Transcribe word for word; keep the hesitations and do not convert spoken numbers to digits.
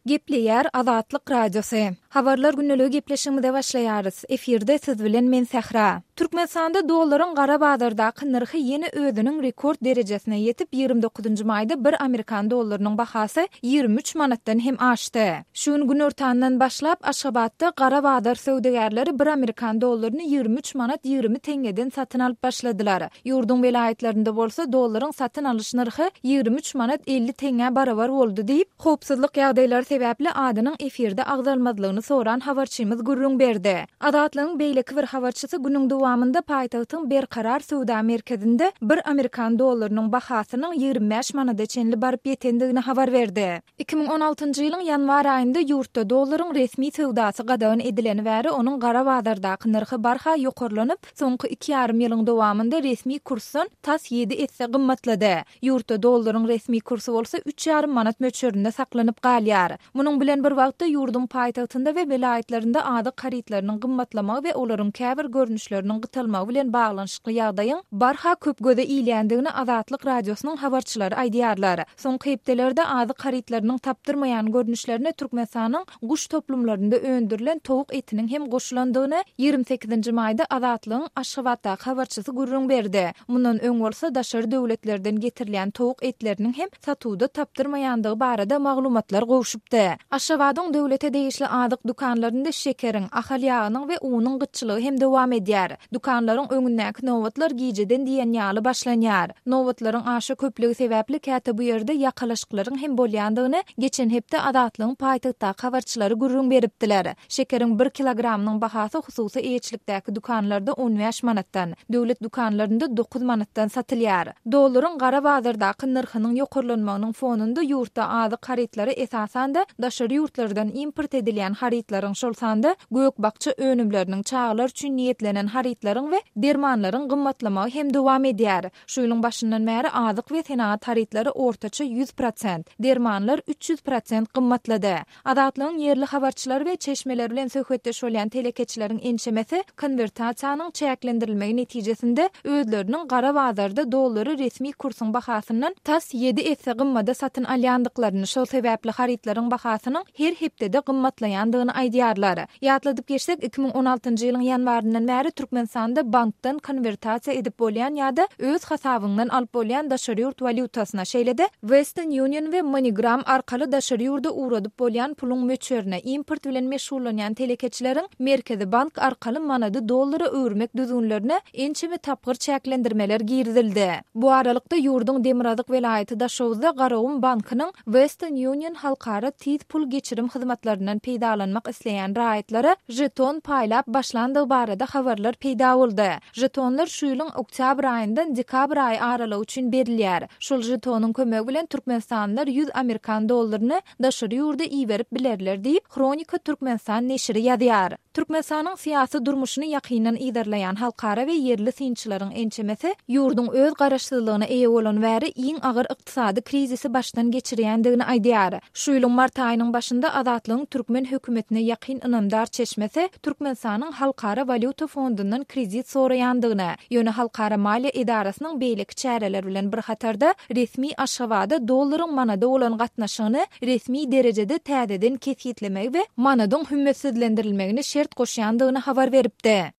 Gepleýär Azatlyk Radiosy. Habarlar gündeligi gepleşigimize başlaýarys. Efirde siz bilen men Sähra. Türkmenistanda dollaryň gara bazardaky nyrhy ýene özüniň rekord derejesine ýetip, ýigrimi dokuzynjy maýda bir amerikan dollarynyň bahasy ýigrimi üç manatdan hem aşdy. Şu gün günortandan başlap Aşgabatda gara bazar söwdagärleri bir amerikan dollaryny ýigrimi üç manat ýigrimi teňňeden satyn alyp başladylar. Ýurduň welaýatlarynda bolsa dollaryň satyn alyş nyrhy ýigrimi üç manat elli teňňä barabar boldy diýip, howpsuzlyk ýagdaýlary sebäpli adynyň efirde agzalmazlygyny soran habarçymyz gürrüň berdi. Azatlygyň beýleki bir habarçysy günüň dowamynda paýtagtyň Berkarar söwda merkezinde bir amerikan dollarynyň bahasynyň ýigrimi bäş manada çenli baryp ýetendigini habar berdi. Iki müň on altynjy ýylyň ýanwar aýynda ýurtda dollaryň resmi söwdasy gadagan edileni bäri onuň gara bazardaky nyrhy barha ýokarlanyp, soňky iki ýarym ýylyň dowamynda resmi kursdan tas ýedi esse gymmatlady. Ýurtda dollaryň resmi kursy bolsa üç ýarym manat möçberinde saklanyp galýar. Munuň bilen bir wagtda ýurduň paýtagtynda we welaýatlarynda azyk harytlarynyň gymmatlamagy we olaryň käbir görnüşleriniň gytalmagy bilen baglanyşykly ýagdaýyň barha köp göze ilýändigini Azatlyk Radiosynyň habarçylary aýdýarlar. Soňky hepdelerde azyk harytlarynyň tapdyrmaýan görnüşlerine Türkmenistanyň guş toplumlarynda öndürilen towuk etiniň hem goşulandygyny ýigrimi sekizinji maýda Azatlygyň Aşgabatdaky habarçysy gürrüň berdi. Mundan öň bolsa daşary döwletlerden getirilýän towuk etleriniň hem satuwda tapdyrmaýandygy barada maglumatlar gowşupdy. Aşgabadyň döwlete degişli azyk dükanlarynda şekeriň, ahal ýagynyň we unuň gytçylygy hem dowam edýär. Dükanlaryň öňündäki nobatlar gijeden diýen ýaly başlanýar. Nobatlaryň aşa köplügi sebäpli käte bu ýerde ýakalaşyklaryň hem bolýandygyny geçen hepde Azatlygyň paýtagtdaky habarçylary gürrüň beripdiler. Şekeriň bir kilogramynyň bahasy hususy eýeçilikdäki dükanlarda on bäş manatdan, döwlet dükanlarynda dokuz manatdan satylýar. Dollaryň gara bazardaky nyrhynyň ýokarlanmagynyň fonunda ýurtda azyk harytlary esasan-da daşary ýurtlardan import edilýän harytlaryň, şol sanda gök-bakja önümleriniň, çagalar üçin niýetlenen harytlaryň we dermanlaryň gymmatlamagy hem dowam edýär. Şu ýylyň başyndan bäri azyk we senagat harytlary ortaça ýüz prosent, dermanlar üç ýüz prosent gymmatlady. Azatlygyň ýerli habarçylary we çeşmeler bilen söhbetdeş bolýan telekeçileriň ençemesi konwertasiýanyň çäklendirilmegi netijesinde özleriniň gara bazarda dollary resmi kursuň bahasyndan tas ýedi esse gymmada satyn alýandyklaryny, şol sebäpli harytlaryň bahasynyň her hepdede gymmatlaýandygyny aýdýarlar. Ýatladyp geçsek, iki müň on altynjy ýylyň ýanwaryndan bäri Türkmenistanda bankdan konwertasiýa edip bolýan ýa-da öz hasabyňdan alyp bolýan daşary ýurt walýutasyna, şeýle-de Western Union we MoneyGram arkaly daşary ýurda ugradyp bolýan puluň möçberine, import bilen meşgullanýan telekeçileriň Merkezi bank arkaly manady dollara öwürmek düzgünlerine ençeme tapgyr çäklendirmeler girizildi. Bu aralykda ýurduň Demirgazyk welaýaty Daşoguzda Garagum bankynyň Western Union halkara tiz pul geçirim hyzmatlaryndan peýdalanmak isleýän raýatlara jeton paýlap başlandygy barada habarlar peýda boldy. Jetonlar şu ýylyň oktýabr aýyndan dekabr aýy aralygy üçin berilýär. Şol jetonyň kömegi bilen türkmenistanlylar ýüz amerikan dollaryny daşary ýurda iberip bilerler diýip, Hronika Türkmenistan neşiri ýazýar. Türkmenistanyň syýasy durmuşyny ýakyndan yzarlaýan halkara we ýerli synçylaryň ençemesi ýurduň öz garaşsyzlygyna eýe bolan bäri iň agyr ykdysady krizisi başdan geçirýändigini aýdýar. Şu ýylyň mart aýynyň başynda Azatlygyň türkmen hökümetine ýakyn ynamdar çeşmesi Türkmenistanyň Halkara walýuta fondundan kredit soraýandygyny, ýöne Halkara maliýe edarasynyň beýleki çäreler bilen bir hatarda resmi Aşgabada dollaryň manada bolan gatnaşygyny resmi derejede täzeden kesgitlemegi we manadyň hümmetsizlendirilmegini şert goşýandygyny habar beripdi.